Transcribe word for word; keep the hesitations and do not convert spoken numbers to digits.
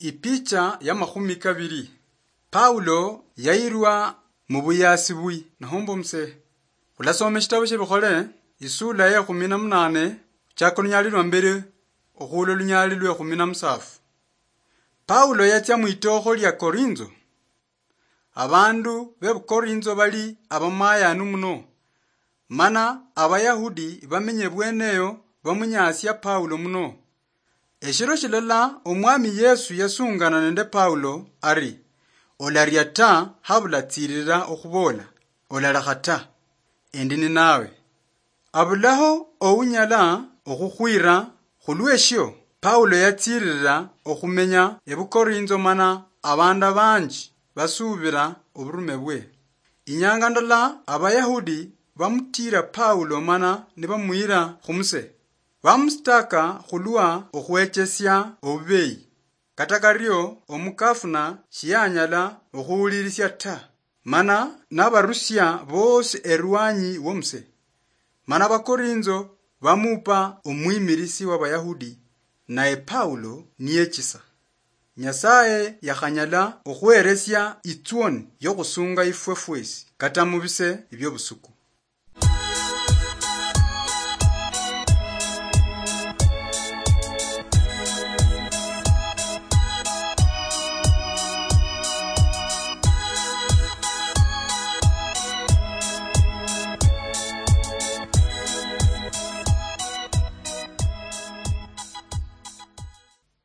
Ipicha ya makhumi kabiri. Paulo yayirwa mu buyasi bwi nahomba omusehe. Khulasoma eshitabo shia Bikhole, isula ya ekhumi na munane, khuchaka olunyali lwa mbere okhuula olunyali lwa ekhumi na musafu. Paulo yatsia mwitookho lia Korinzo. Abandu be Bukorinzo bali abamayanu muno, mana Abayahudi bamenye bweneyo bamunyasia Paulo muno. Eshiro shilala Omwami Yesu yasungana nende Paulo ari, "Olaria ta, habula tsirira okhubola, olalekha ta, endi ninawe." Abulaho ounyala okhukhwira. Khulweshio, Paulo yatsiirira okhumenya ebukorinzo mana abandu abanji basuubira oburume bwe. Inyanga ndala Abayahudi bamutiira Paulo mana nibamuyira khumuse. Bamusitaka khulwa okhwechesia obubeyi. Kata kario omukafuna shiyanyala okhuwulirisia ta, mana nabarusia bosi erwanyi womuse. Mana Abakorinzo bamupa omwimirisi w'Abayahudi, naye Paulo niyechisa. Nyasaye yakhanyala okhweresia itswoni yokhusunga ifwe fwesi, kata mubise ebiobusuku.